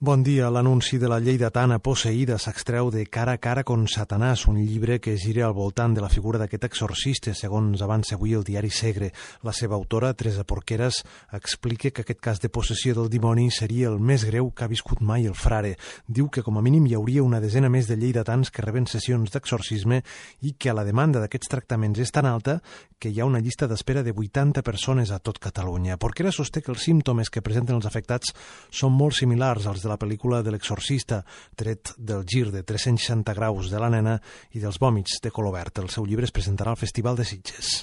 Bon dia. L'anunci de la lleidatana posseïda s'extreu de Cara a cara con Satanàs, un llibre que gira al voltant de la figura d'aquest exorcista, segons avança avui el diari Segre. La seva autora, Teresa Porqueras, explica que aquest cas de possessió del dimoni seria el més greu que ha viscut mai el frare. Diu que com a mínim hi hauria una desena més de lleidatans que reben sessions d'exorcisme i que la demanda d'aquests tractaments és tan alta que hi ha una llista d'espera de 80 persones a tot Catalunya. Porqueras sosté que els símptomes que presenten els afectats són molt similars als de la pel·lícula de l'exorcista, tret del gir de 360 graus de la nena i dels vòmits de color verd. El seu llibre es presentarà al Festival de Sitges.